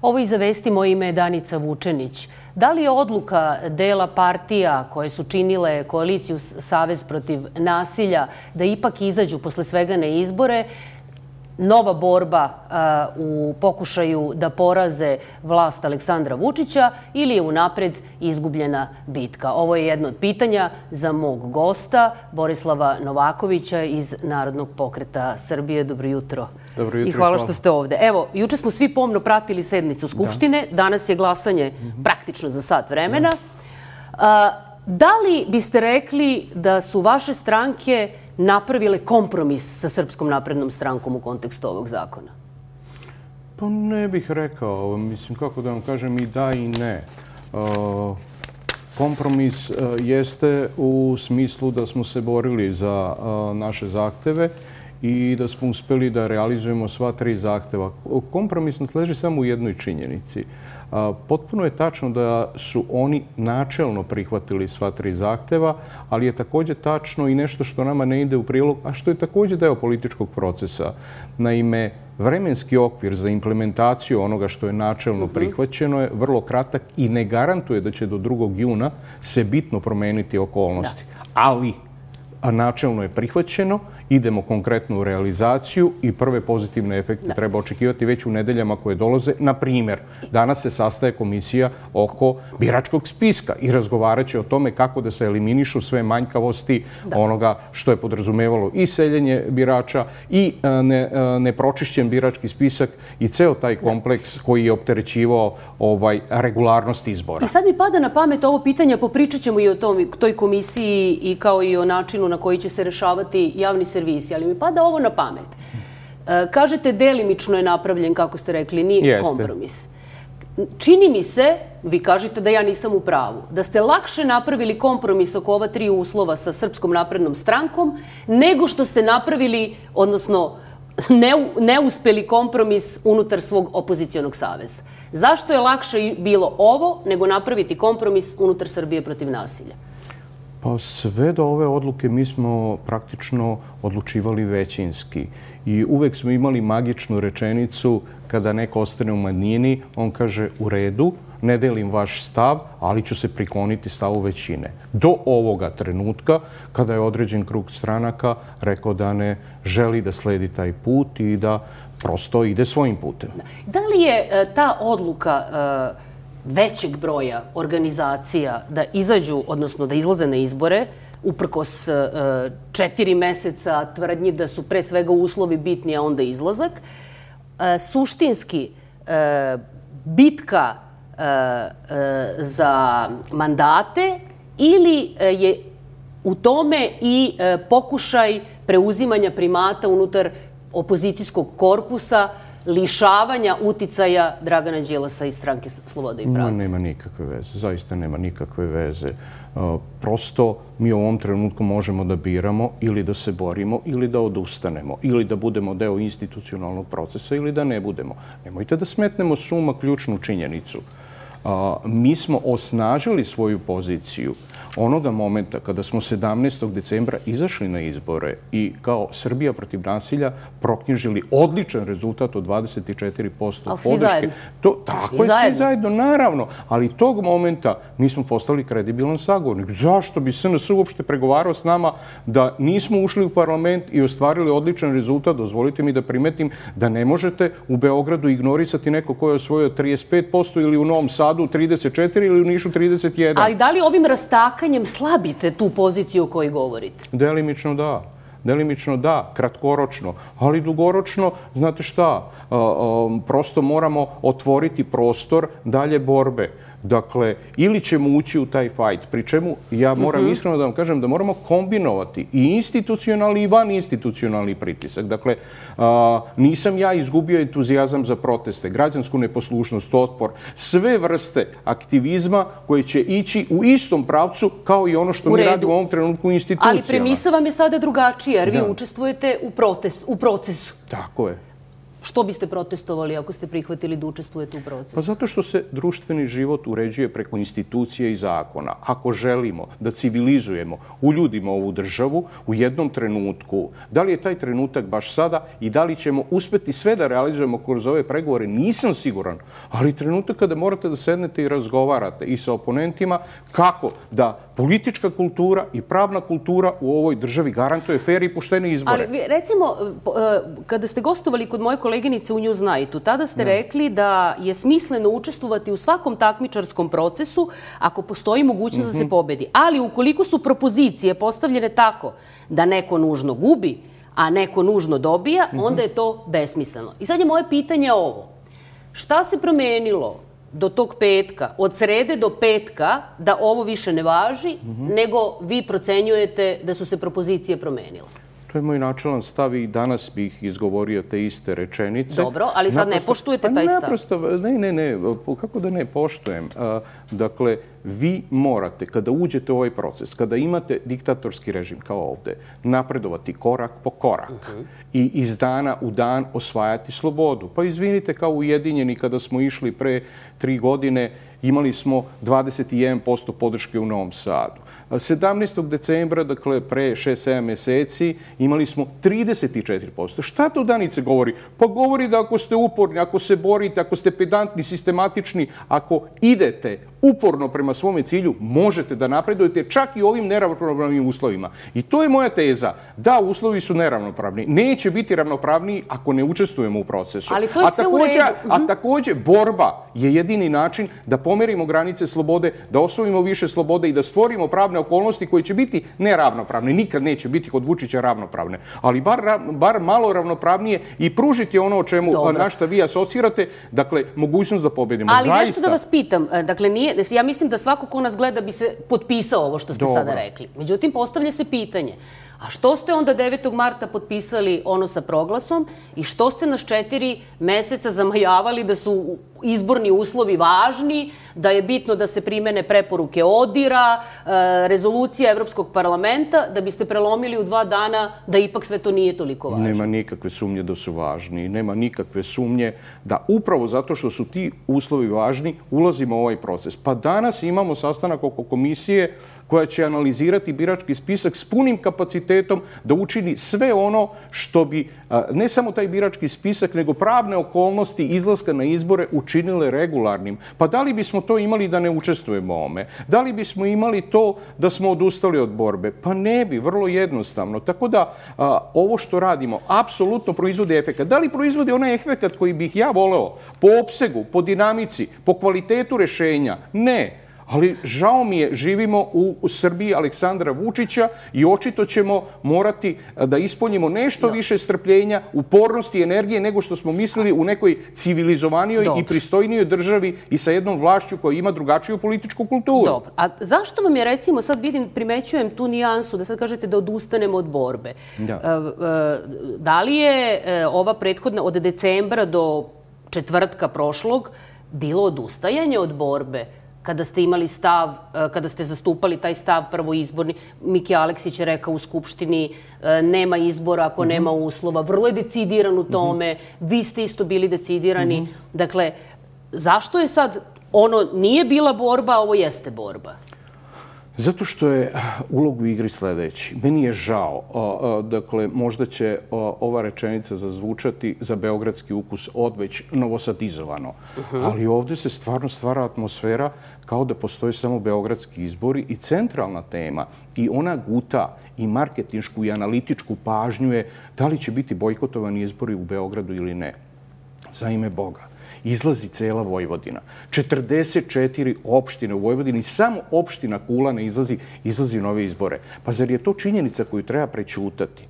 Ovo iza vesti, moje ime je Danica Vučenić. Da li je odluka dela partija koje su činile koaliciju Savez protiv nasilja da ipak izađu posle svega na izbore nova borba u pokušaju da poraze vlast Aleksandra Vučića ili je unapred izgubljena bitka? Ovo je jedno od pitanja za mog gosta, Borislava Novakovića iz Narodnog pokreta Srbije. Dobro jutro. Dobro jutro. I hvala što ste ovde. Evo, juče smo svi pomno pratili sednicu Skupštine. Danas je glasanje praktično za sat vremena. Da li biste rekli da su vaše stranke napravile kompromis sa Srpskom naprednom strankom u kontekstu ovog zakona? Pa ne bih rekao. Mislim, kako da vam kažem, i da i ne. Kompromis jeste u smislu da smo se borili za naše zahteve i da smo uspeli da realizujemo sva 3 zahteva. Kompromis nas leži samo u jednoj činjenici. Potpuno je tačno da su oni načelno prihvatili sva 3 zahteva, ali je također tačno i nešto što nama ne ide u prilog, a što je također deo političkog procesa. Naime, vremenski okvir za implementaciju onoga što je načelno prihvaćeno je vrlo kratak i ne garantuje da će do 2. juna se bitno promeniti okolnosti. Ali načelno je prihvaćeno, idemo konkretno u realizaciju i prve pozitivne efekte treba očekivati već u nedeljama koje dolaze. Na primjer, danas se sastaje komisija oko biračkog spiska i razgovarat će o tome kako da se eliminišu sve manjkavosti onoga što je podrazumevalo i seljenje birača i nepročišćen birački spisak i ceo taj kompleks koji je opterećivao regularnost izbora. I sad mi pada na pamet ovo pitanje, popričat ćemo i o toj komisiji i kao i o načinu na koji će se rešavati javni servisi, ali mi pada ovo na pamet. Kažete, delimično je napravljen, kako ste rekli, nije kompromis. Čini mi se, vi kažete da ja nisam u pravu, da ste lakše napravili kompromis oko ova 3 uslova sa Srpskom naprednom strankom nego što ste napravili, odnosno neuspeli kompromis unutar svog opozicionog saveza. Zašto je lakše bilo ovo nego napraviti kompromis unutar Srbije protiv nasilja? Pa sve do ove odluke mi smo praktično odlučivali većinski i uvek smo imali magičnu rečenicu kada neko ostane u manjini, on kaže u redu, ne delim vaš stav, ali ću se prikloniti stavu većine. Do ovoga trenutka, kada je određen krug stranaka rekao da ne želi da sledi taj put i da prosto ide svojim putem. Da li je ta odluka većeg broja organizacija da izađu, odnosno da izlaze na izbore, uprkos 4 meseca tvrdnji da su pre svega uslovi bitni, a onda izlazak, suštinski bitka za mandate ili je u tome i pokušaj preuzimanja primata unutar opozicijskog korpusa, lišavanja uticaja Dragana Đilasa i Stranke Slobode i pravde? Nema nikakve veze. Zaista nema nikakve veze. Prosto mi u ovom trenutku možemo da biramo ili da se borimo ili da odustanemo ili da budemo deo institucionalnog procesa ili da ne budemo. Nemojte da smetnemo s uma ključnu činjenicu. Mi smo osnažili svoju poziciju onoga momenta kada smo 17. decembra izašli na izbore i kao Srbija protiv nasilja proknjižili odličan rezultat od 24% podrške. Ali svi zajedno. Tako je, svi zajedno, naravno. Ali tog momenta mi smo postali kredibilan sagovornik. Zašto bi SNS uopšte pregovarao s nama da nismo ušli u parlament i ostvarili odličan rezultat? Dozvolite mi da primetim da ne možete u Beogradu ignorisati neko ko je osvojio 35% ili u Novom Sadu 34% ili u Nišu 31%. Ali da li ovim rastakanjem slabite tu poziciju o kojoj govorite? Delimično da. Delimično da, kratkoročno, ali dugoročno, znate šta, prosto moramo otvoriti prostor dalje borbe. Dakle, ili ćemo ući u taj fajt, pri čemu ja moram iskreno da vam kažem da moramo kombinovati i institucionalni i vaninstitucionalni pritisak. Dakle, nisam ja izgubio entuzijazam za proteste, građansku neposlušnost, otpor, sve vrste aktivizma koje će ići u istom pravcu kao i ono što mi radimo u ovom trenutku u institucijama. Ali premisa vam je sada drugačija, jer vi učestvujete u procesu. Tako je. Što biste protestovali ako ste prihvatili da učestvujete u procesu? Pa zato što se društveni život uređuje preko institucije i zakona. Ako želimo da civilizujemo, uljudimo ovu državu u jednom trenutku, da li je taj trenutak baš sada i da li ćemo uspeti sve da realizujemo kroz ove pregovore, nisam siguran. Ali trenutak kada morate da sednete i razgovarate i sa oponentima kako da politička kultura i pravna kultura u ovoj državi garantuje fer i poštene izbore. Ali recimo, kada ste gostovali kod moje koleginice u Newsnightu, tada ste rekli da je smisleno učestvovati u svakom takmičarskom procesu ako postoji mogućnost da se pobedi. Ali ukoliko su propozicije postavljene tako da neko nužno gubi, a neko nužno dobija, onda je to besmisleno. I sad je moje pitanje ovo. Šta se promenilo do tog petka, od srede do petka, da ovo više ne važi, nego vi procenjujete da su se propozicije promenile? To je moj načelan stav i danas bih izgovorio te iste rečenice. Dobro, ali sad ne poštujete taj stav. Naprosto, ne, kako da ne poštujem? Dakle, vi morate, kada uđete u ovaj proces, kada imate diktatorski režim kao ovde, napredovati korak po korak i iz dana u dan osvajati slobodu. Pa izvinite, kao Ujedinjeni, kada smo išli pre 3 godine, imali smo 21% podrške u Novom Sadu. 17. decembra, dakle pre 6-7 meseci, imali smo 34%. Šta to Danice govori? Pa govori da ako ste uporni, ako se borite, ako ste pedantni, sistematični, ako idete uporno prema svome cilju, možete da napredujete čak i ovim neravnopravnim uslovima. I to je moja teza. Da, uslovi su neravnopravni. Neće biti ravnopravniji ako ne učestvujemo u procesu. Ali to je sve u redu. A takođe, borba je jedini način da pomerimo granice slobode, da osvojimo više slobode i da stvorimo pravne okolnosti koje će biti neravnopravne. Nikad neće biti kod Vučića ravnopravne. Ali bar malo ravnopravnije i pružiti ono o čemu na šta vi asocirate, dakle, mogućnost da pobedimo. Ali nešto da vas pitam. Dakle, ja mislim da svako ko nas gleda bi se potpisao ovo što ste sada rekli. Međutim, postavlja se pitanje. A što ste onda 9. marta potpisali ono sa proglasom i što ste nas 4 meseca zamajavali da su izborni uslovi važni, da je bitno da se primene preporuke ODIR-a, rezolucija Evropskog parlamenta, da biste prelomili u 2 dana da ipak sve to nije toliko važno? Nema nikakve sumnje da su važni. Nema nikakve sumnje da upravo zato što su ti uslovi važni, ulazimo u ovaj proces. Pa danas imamo sastanak oko komisije koja će analizirati birački spisak s punim kapacitetom da učini sve ono što bi ne samo taj birački spisak, nego pravne okolnosti izlaska na izbore učinile regularnim. Pa da li bismo to imali da ne učestvujemo u ovome? Da li bismo imali to da smo odustali od borbe? Pa ne bi, vrlo jednostavno. Tako da ovo što radimo apsolutno proizvodi efekat. Da li proizvodi onaj efekat koji bih ja voleo po opsegu, po dinamici, po kvalitetu rešenja? Ne. Ali žao mi je, živimo u Srbiji Aleksandra Vučića i očito ćemo morati da ispoljimo nešto više strpljenja, upornosti i energije nego što smo mislili u nekoj civilizovanijoj i pristojnijoj državi i sa jednom vlašću koja ima drugačiju političku kulturu. Dobro. A zašto vam je, recimo, sad primećujem tu nijansu da sad kažete da odustanemo od borbe. Da li je ova prethodna od decembra do četvrtka prošlog bilo odustajanje od borbe? Kada ste imali stav, kada ste zastupali taj stav prvoizborni, Miki Aleksić je rekao u Skupštini nema izbora ako nema uslova. Vrlo je decidiran u tome. Vi ste isto bili decidirani. Dakle, zašto je sad ono nije bila borba, a ovo jeste borba? Zato što je ulog u igri sledeći. Meni je žao. Dakle, možda će ova rečenica zazvučati za beogradski ukus odveć novosadizovano. Ali ovde se stvarno stvara atmosfera kao da postoje samo beogradski izbori i centralna tema i ona guta i marketinšku i analitičku pažnju je da li će biti bojkotovani izbori u Beogradu ili ne. Za ime Boga. Izlazi cela Vojvodina. 44 opštine u Vojvodini, samo opština Kula ne izlazi u nove izbore. Pa zar je to činjenica koju treba prećutati?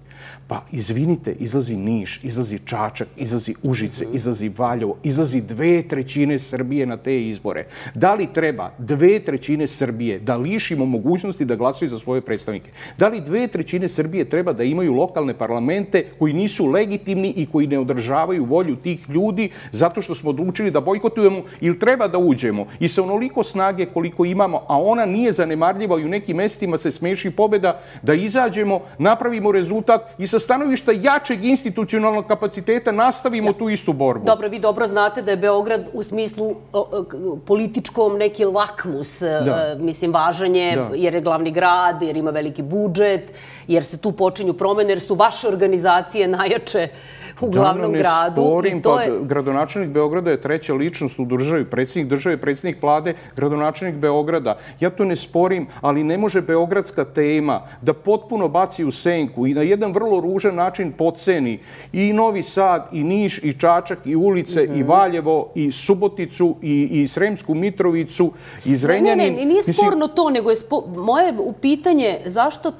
Pa izvinite, izlazi Niš, izlazi Čačak, izlazi Užice, izlazi Valjevo, izlazi 2/3 Srbije na te izbore. Da li treba 2/3 Srbije da lišimo mogućnosti da glasaju za svoje predstavnike? Da li 2/3 Srbije treba da imaju lokalne parlamente koji nisu legitimni i koji ne održavaju volju tih ljudi zato što smo odlučili da bojkotujemo ili treba da uđemo i sa onoliko snage koliko imamo, a ona nije zanemarljiva i u nekim mestima se smeši pobeda, da izađemo, napravimo rezultat i sa stanovišta jačeg institucionalnog kapaciteta nastavimo tu istu borbu. Dobro, vi dobro znate da je Beograd u smislu političkom neki lakmus, mislim, važan je, jer je glavni grad, jer ima veliki budžet, jer se tu počinju promene, jer su vaše organizacije najjače u glavnom gradu. Sporim, gradonačelnik Beograda je treća ličnost u državi, predsjednik države, predsjednik vlade, gradonačelnik Beograda. Ja to ne sporim, ali ne može beogradska tema da potpuno baci u senku i na jedan vrlo ružan način podceni i Novi Sad, i Niš, i Čačak, i ulice, i Valjevo, i Suboticu, i Sremsku Mitrovicu, i Zrenjanin. Ne, nije sporno to, nego je moje pitanje zašto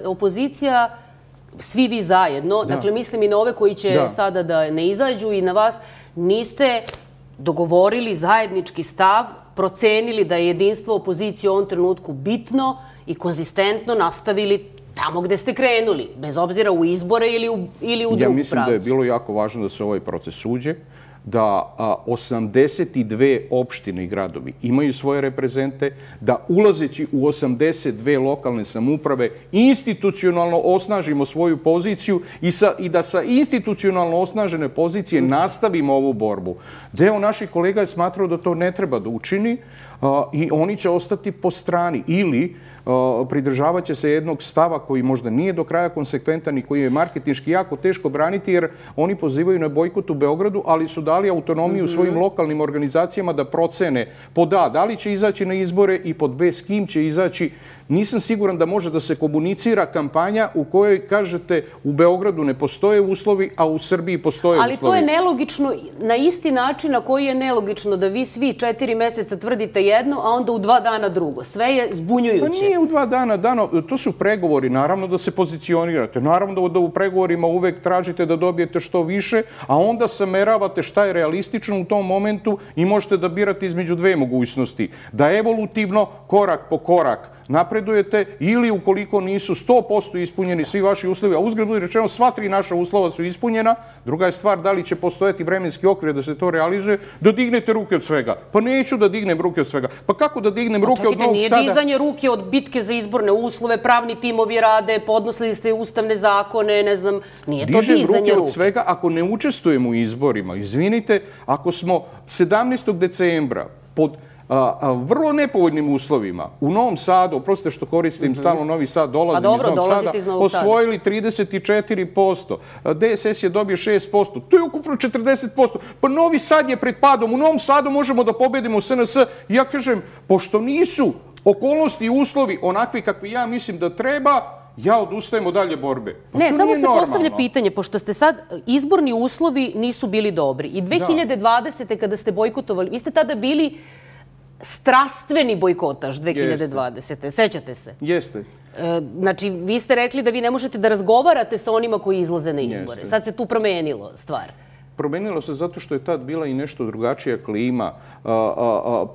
opozicija, svi vi zajedno, dakle mislim i na ove koji će sada da ne izađu i na vas, niste dogovorili zajednički stav, procenili da je jedinstvo opozicije u ovom trenutku bitno i konzistentno nastavili tamo gde ste krenuli, bez obzira u izbore ili u drugu pravcu. Ja mislim da je bilo jako važno da se ovaj proces uđe, da 82 opštine i gradovi imaju svoje reprezente, da ulazeći u 82 lokalne samouprave institucionalno osnažimo svoju poziciju i da sa institucionalno osnažene pozicije nastavimo ovu borbu. Deo naših kolega je smatrao da to ne treba da učini i oni će ostati po strani ili pridržavat će se jednog stava koji možda nije do kraja konsekventan i koji je marketinški jako teško braniti, jer oni pozivaju na bojkot u Beogradu, ali su dali autonomiju svojim lokalnim organizacijama da procene pod A, da li će izaći na izbore i pod B, s kim će izaći. Nisam siguran da može da se komunicira kampanja u kojoj kažete u Beogradu ne postoje uslovi, a u Srbiji postoje uslovi. Ali to je nelogično na isti način na koji je nelogično da vi svi 4 meseca tvrdite jedno, a onda u 2 dana drugo. Sve je zbunjujuće. Pa nije u 2 dana, to su pregovori, naravno da se pozicionirate, naravno da u pregovorima uvek tražite da dobijete što više, a onda sameravate šta je realistično u tom momentu i možete da birate između dve mogućnosti. Da evolutivno, korak po korak, napredujete ili ukoliko nisu 100% ispunjeni svi vaši uslovi, a uzgled budi rečeno sva 3 naša uslova su ispunjena, druga je stvar da li će postojati vremenski okvir da se to realizuje, da dignete ruke od svega. Pa neću da dignem ruke od svega. Pa kako da dignem ruke od Novog Sada? Nije dizanje ruke od bitke za izborne uslove, pravni timovi rade, podnosili ste ustavne zakone, ne znam, nije to dizanje ruke. Dižem ruke od svega ako ne učestvujemo u izborima. Izvinite, ako smo 17. decembra pod vrlo nepovoljnim uslovima u Novom Sadu, oprostite što koristim stalno Novi Sad, dolazim iz Novog Sada, osvojili 34%, DSS je dobio 6%, to je ukupno 40%. Pa Novi Sad je pred padom, u Novom Sadu možemo da pobedimo SNS. Ja kažem, pošto nisu okolnosti i uslovi onakvi kakvi ja mislim da treba, ja odustajem od dalje borbe. Ne, samo se postavlja pitanje, pošto ste sad, izborni uslovi nisu bili dobri. I 2020. kada ste bojkotovali, vi ste tada bili strastveni bojkotaž 2020. Sećate se? Jeste. Znači, vi ste rekli da vi ne možete da razgovarate sa onima koji izlaze na izbore. Sad se tu promenilo stvar. Promenilo se zato što je tad bila i nešto drugačija klima.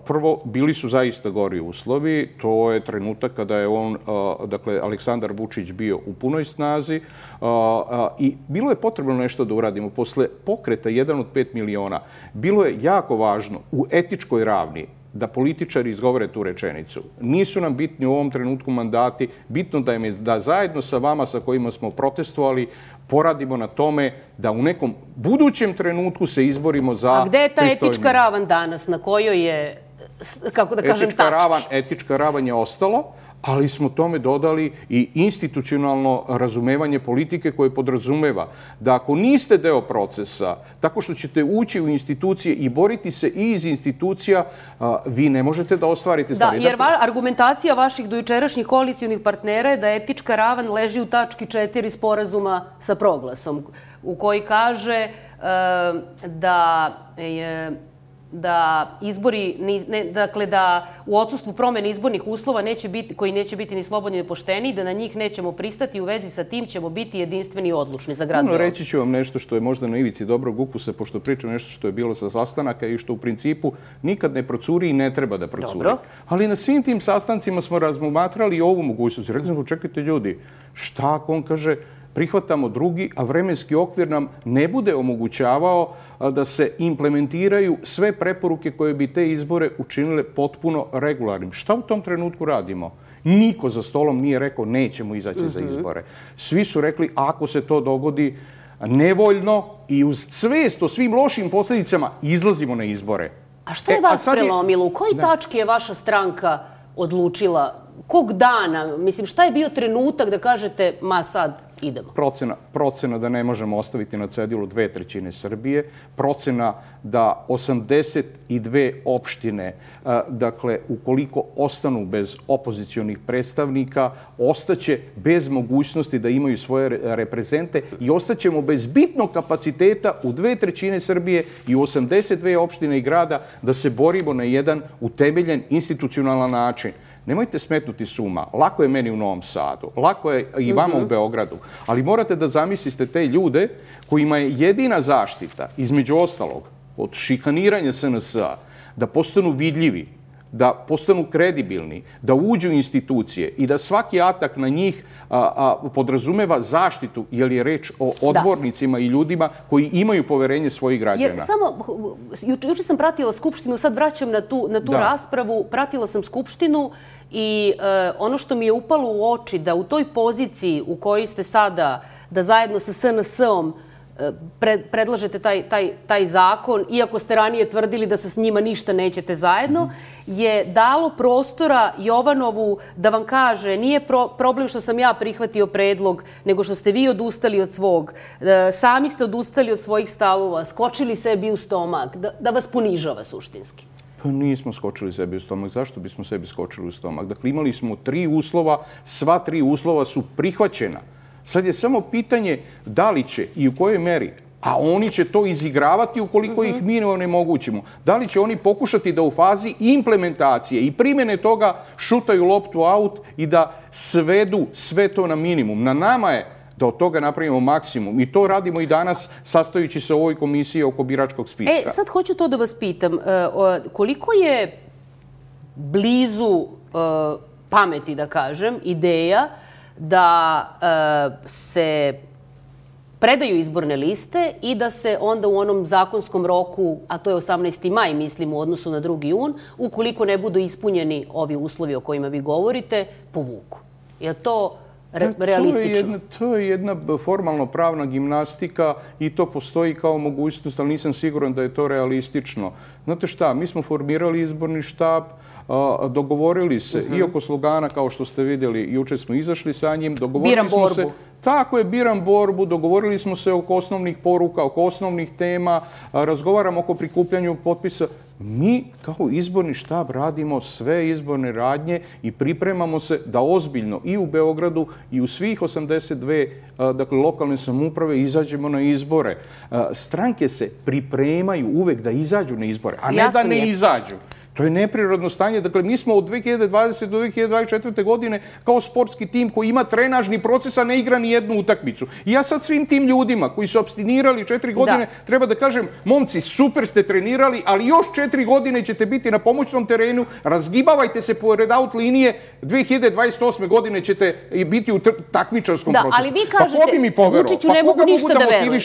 Prvo, bili su zaista gori uslovi. To je trenutak kada je dakle, Aleksandar Vučić bio u punoj snazi i bilo je potrebno nešto da uradimo. Posle pokreta 1 od 5 miliona, bilo je jako važno u etičkoj ravni da političari izgovore tu rečenicu. Nisu nam bitni u ovom trenutku mandati, bitno da zajedno sa vama sa kojima smo protestovali poradimo na tome da u nekom budućem trenutku se izborimo za pristojnije. A gde je ta etička ravan danas, na kojoj je, kako da kažem, tačka? Etička ravan je ostalo, ali smo tome dodali i institucionalno razumevanje politike koje podrazumeva da ako niste deo procesa, tako što ćete ući u institucije i boriti se i iz institucija, vi ne možete da ostvarite stvari. Da, jer argumentacija vaših dojučerašnjih koalicijonih partnera je da etička ravan leži u tački 4 sporazuma sa Proglasom, u koji kaže da izbori, dakle da u odsustvu promene izbornih uslova koji neće biti ni slobodni ni pošteni, da na njih nećemo pristati, u vezi sa tim ćemo biti jedinstveni i odlučni za grad Beograd. Reći ću vam nešto što je možda na ivici dobrog ukusa, pošto pričam nešto što je bilo sa sastanaka i što u principu nikad ne procuri i ne treba da procuri. Dobro. Ali na svim tim sastancima smo razmatrali i ovu mogućnost. Rekli smo, čekajte ljudi, šta ako on kaže prihvatamo drugi, a vremenski okvir nam ne bude omogućavao da se implementiraju sve preporuke koje bi te izbore učinile potpuno regularnim. Šta u tom trenutku radimo? Niko za stolom nije rekao nećemo izaći za izbore. Svi su rekli ako se to dogodi nevoljno i uz svest o svim lošim posljedicama izlazimo na izbore. A šta je vas prelomilo? U kojoj tački je vaša stranka odlučila? Kog dana? Mislim, šta je bio trenutak da kažete, ma sad idemo? Procena da ne možemo ostaviti na cedilu 2/3 Srbije, procena da 82 opštine, dakle, ukoliko ostanu bez opozicionih predstavnika, ostaće bez mogućnosti da imaju svoje reprezente i ostaćemo bez bitnog kapaciteta u 2/3 Srbije i u 82 opštine i grada da se borimo na jedan utemeljen institucionalan način. Nemojte smetnuti s uma. Lako je meni u Novom Sadu, lako je i vama u Beogradu, ali morate da zamislite te ljude kojima je jedina zaštita, između ostalog, od šikaniranja SNS-a, da postanu vidljivi, da postanu kredibilni, da uđu u institucije i da svaki atak na njih podrazumeva zaštitu, jer je reč o odbornicima i ljudima koji imaju poverenje svojih građana. Jer samo, juče sam pratila Skupštinu, sad vraćam na tu raspravu, pratila sam Skupštinu i ono što mi je upalo u oči da u toj poziciji u kojoj ste sada, da zajedno sa SNS-om predlažete taj zakon, iako ste ranije tvrdili da se s njima ništa nećete zajedno, je dalo prostora Jovanovu da vam kaže nije problem što sam ja prihvatio predlog, nego što ste vi odustali od svog. Sami ste odustali od svojih stavova, skočili sebi u stomak, da vas ponižava suštinski. Pa nismo skočili sebi u stomak. Zašto bismo sebi skočili u stomak? Dakle, imali smo 3 uslova, sva 3 uslova su prihvaćena. Sad je samo pitanje da li će i u kojoj meri, a oni će to izigravati ukoliko ih mi ne onemogućimo. Da li će oni pokušati da u fazi implementacije i primjene toga šutaju loptu aut i da svedu sve to na minimum. Na nama je da od toga napravimo maksimum. I to radimo i danas sastajući se u ovoj komisiji oko biračkog spiska. Sad hoću to da vas pitam. Koliko je blizu pameti, da kažem, ideja da se predaju izborne liste i da se onda u onom zakonskom roku, a to je 18. maj, mislim, u odnosu na 2. jun, ukoliko ne budu ispunjeni ovi uslovi o kojima vi govorite, povuku? Je to realistično? To je jedna formalno pravna gimnastika i to postoji kao mogućnost, ali nisam siguran da je to realistično. Znate šta, mi smo formirali izborni štab, dogovorili se i oko slogana, kao što ste vidjeli, juče smo izašli sa njim. Biram borbu. Tako je, biram borbu. Dogovorili smo se oko osnovnih poruka, oko osnovnih tema, razgovaramo oko prikupljanju potpisa. Mi kao izborni štab radimo sve izborne radnje i pripremamo se da ozbiljno i u Beogradu i u svih 82 dakle, lokalne samouprave izađemo na izbore. Stranke se pripremaju uvek da izađu na izbore, a ne da ne izađu. To je neprirodno stanje. Dakle, mi smo od 2020. do 2024. godine kao sportski tim koji ima trenažni proces, a ne igra ni jednu utakmicu. I ja sad svim tim ljudima koji su apstinirali 4 godine treba da kažem, momci, super ste trenirali, ali još 4 godine ćete biti na pomoćnom terenu, razgibavajte se pored out linije, 2028. godine ćete biti u takmičarskom procesu. Ali vi kažete, Vučiću ne mogu ništa da verujem.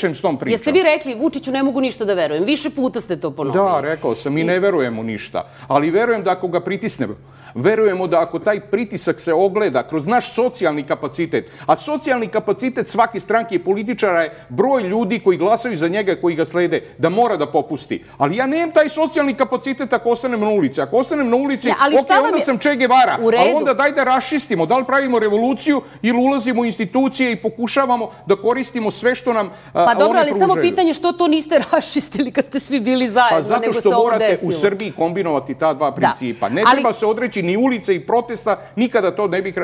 Jeste vi rekli, Vučiću ne mogu ništa da verujem? Više puta ste to ponovili. Da, rekao sam, i ne verujemo ništa. Ali verujem da ako ga pritisnemo, verujemo da ako taj pritisak se ogleda kroz naš socijalni kapacitet, a socijalni kapacitet svake stranke i političara je broj ljudi koji glasaju za njega, koji ga slede, da mora da popusti. Ali ja nemam taj socijalni kapacitet ako ostanem na ulici. Ako ostanem na ulici, onda sam Che Guevara. Ali onda daj da raščistimo. Da li pravimo revoluciju ili ulazimo u institucije i pokušavamo da koristimo sve što nam one pružaju. Pa dobro, ali samo pitanje što to niste raščistili kad ste svi bili zajedno, zato nego se što ovo morate desilo. u Srbiji kombinovati ta dva principa. Ne treba se odreći ni ulice i protesta, nikada to ne bih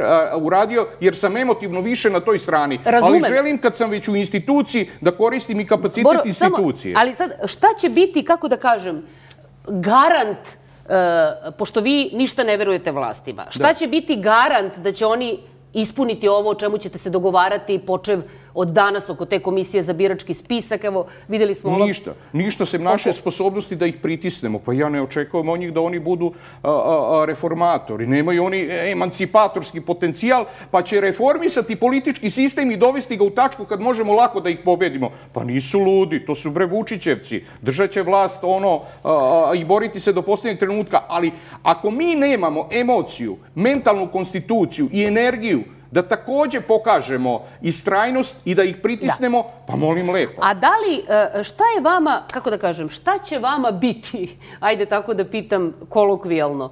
uradio, jer sam emotivno više na toj strani. Ali želim, kad sam već u instituciji, da koristim i kapacitet institucije. Ali sad, šta će biti, kako da kažem, garant, pošto vi ništa ne verujete vlastima, šta će biti garant da će oni ispuniti ovo o čemu ćete se dogovarati, počev od danas oko te komisije za birački spisak? Evo, videli smo ovo... Ništa sem naše sposobnosti da ih pritisnemo. Pa ja ne očekujem od njih da oni budu reformatori. Nemaju oni emancipatorski potencijal, pa će reformisati politički sistem i dovesti ga u tačku kad možemo lako da ih pobedimo. Pa nisu ludi, to su bre Vučićevci. Držat će vlast i boriti se do posljednjeg trenutka. Ali ako mi nemamo emociju, mentalnu konstituciju i energiju da takođe pokažemo istrajnost i da ih pritisnemo, pa molim lepo. A da li, šta je vama, kako da kažem, šta će vama biti, ajde tako da pitam kolokvijalno,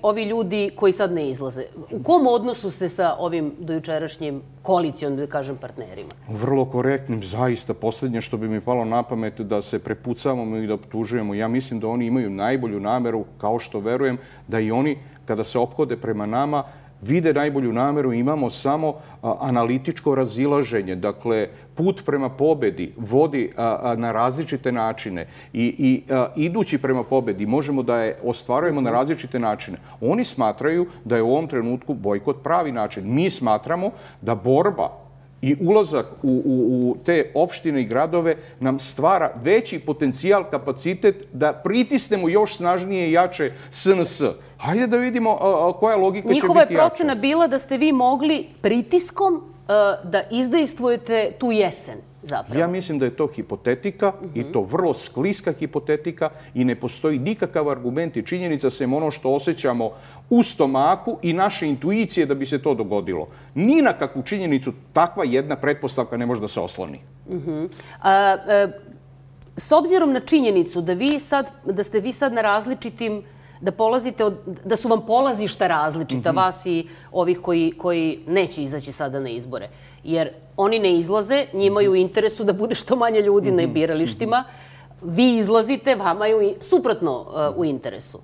ovi ljudi koji sad ne izlaze? U kom odnosu ste sa ovim dojučerašnjim koalicijom, da kažem, partnerima? Vrlo korektnim, zaista. Posljednje što bi mi palo na pamet da se prepucavamo i da optužujemo. Ja mislim da oni imaju najbolju nameru, kao što verujem da i oni, kada se ophode prema nama, vide najbolju nameru, imamo samo analitičko razilaženje. Dakle, put prema pobedi vodi na različite načine i idući prema pobedi možemo da je ostvarujemo na različite načine. Oni smatraju da je u ovom trenutku bojkot pravi način. Mi smatramo da borba i ulazak u te opštine i gradove nam stvara veći potencijal, kapacitet da pritisnemo još snažnije i jače SNS. Hajde da vidimo koja logika će biti jača. Njihova je procena bila da ste vi mogli pritiskom da izdejstvujete tu jesen. Zapravo. Ja mislim da je to hipotetika i to vrlo skliska hipotetika i ne postoji nikakav argument i činjenica sem ono što osjećamo u stomaku i naše intuicije da bi se to dogodilo. Ni na kakvu činjenicu takva jedna pretpostavka ne može da se osloni. S obzirom na činjenicu da ste vi sad na različitim, da polazite da su vam polazišta različita, vas i ovih koji neće izaći sada na izbore. Jer oni ne izlaze, njima je u interesu da bude što manje ljudi na biralištima. Vi izlazite, vama je suprotno u interesu.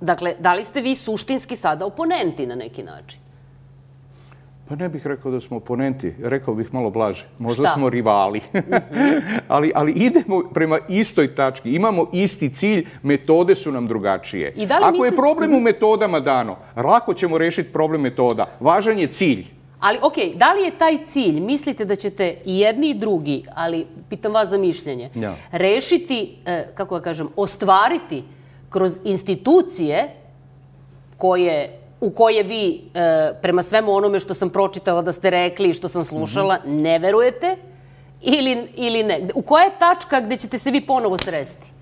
Dakle, da li ste vi suštinski sada oponenti na neki način? Pa ne bih rekao da smo oponenti, rekao bih malo blaže. Možda smo rivali. Ali idemo prema istoj tački, imamo isti cilj, metode su nam drugačije. Ako je problem u metodama dano, lako ćemo rešiti problem metoda. Važan je cilj. Ali, okej, da li je taj cilj, mislite da ćete i jedni i drugi, ali pitam vas za mišljenje, rešiti, kako da kažem, ostvariti kroz institucije u koje vi, prema svemu onome što sam pročitala da ste rekli i što sam slušala, ne verujete ili ne? U koja je tačka gde ćete se vi ponovo sresti?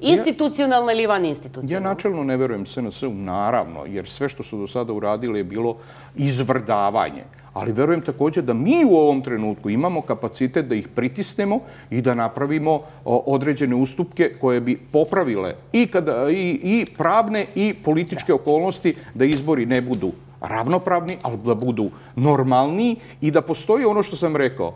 Institucionalna ili van institucionalna? Ja načelno ne verujem SNS-u, naravno, jer sve što su do sada uradili je bilo izvrdavanje. Ali verujem također da mi u ovom trenutku imamo kapacitet da ih pritisnemo i da napravimo određene ustupke koje bi popravile i pravne i političke okolnosti da izbori ne budu ravnopravni, ali da budu normalniji i da postoji ono što sam rekao.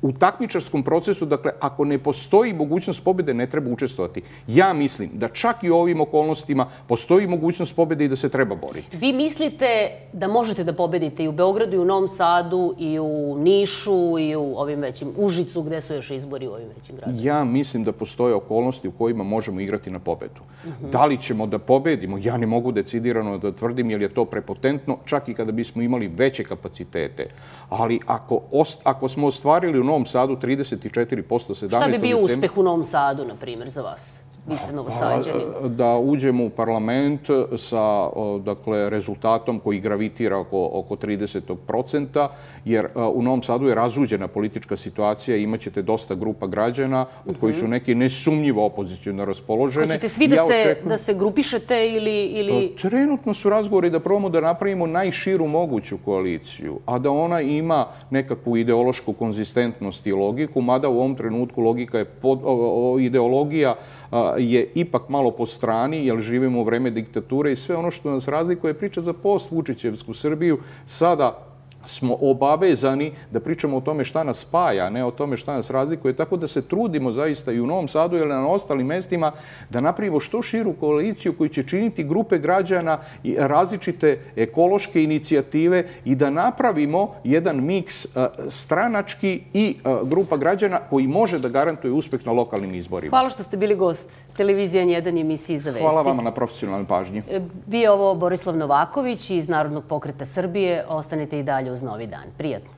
U takmičarskom procesu, dakle, ako ne postoji mogućnost pobjede, ne treba učestvovati. Ja mislim da čak i u ovim okolnostima postoji mogućnost pobjede i da se treba boriti. Vi mislite da možete da pobedite i u Beogradu, i u Novom Sadu, i u Nišu, i u ovim većim Užicu, gde su još izbori u ovim većim gradovima? Ja mislim da postoje okolnosti u kojima možemo igrati na pobedu. Da li ćemo da pobedimo? Ja ne mogu decidirano da tvrdim, jer je to prepotentno, čak i kada bismo imali veće kapacitete. Ali ako smo ostvarili u Novom Sadu 34%, 17. Šta bi bio uspeh u Novom Sadu, na primjer, za vas? Vi ste Novosađanin. Da uđemo u parlament sa rezultatom koji gravitira oko 30%, jer u Novom Sadu je razuđena politička situacija i imat ćete dosta grupa građana, od kojih su neki nesumnjivo opoziciono raspoložene. Hoćete svi da se grupišete ili... Trenutno su razgovori da probamo da napravimo najširu moguću koaliciju, a da ona ima nekakvu ideološku konzistentnost i logiku, mada u ovom trenutku logika je ideologija je ipak malo po strani, jer živimo u vreme diktature i sve ono što nas razlikuje je priča za post-Vučićevsku Srbiju. Sada smo obavezani da pričamo o tome šta nas spaja, a ne o tome šta nas razlikuje. Tako da se trudimo zaista i u Novom Sadu ili na ostalim mestima da napravimo što širu koaliciju koju će činiti grupe građana i različite ekološke inicijative i da napravimo jedan miks stranački i grupa građana koji može da garantuje uspeh na lokalnim izborima. Hvala što ste bili gost Televizija N1 emisiji Za vesti. Hvala vama na profesionalnoj pažnji. Bio ovo Borislav Novaković iz Narodnog pokreta Srbije. Ostanite i dalje uz Novi dan. Prijatno.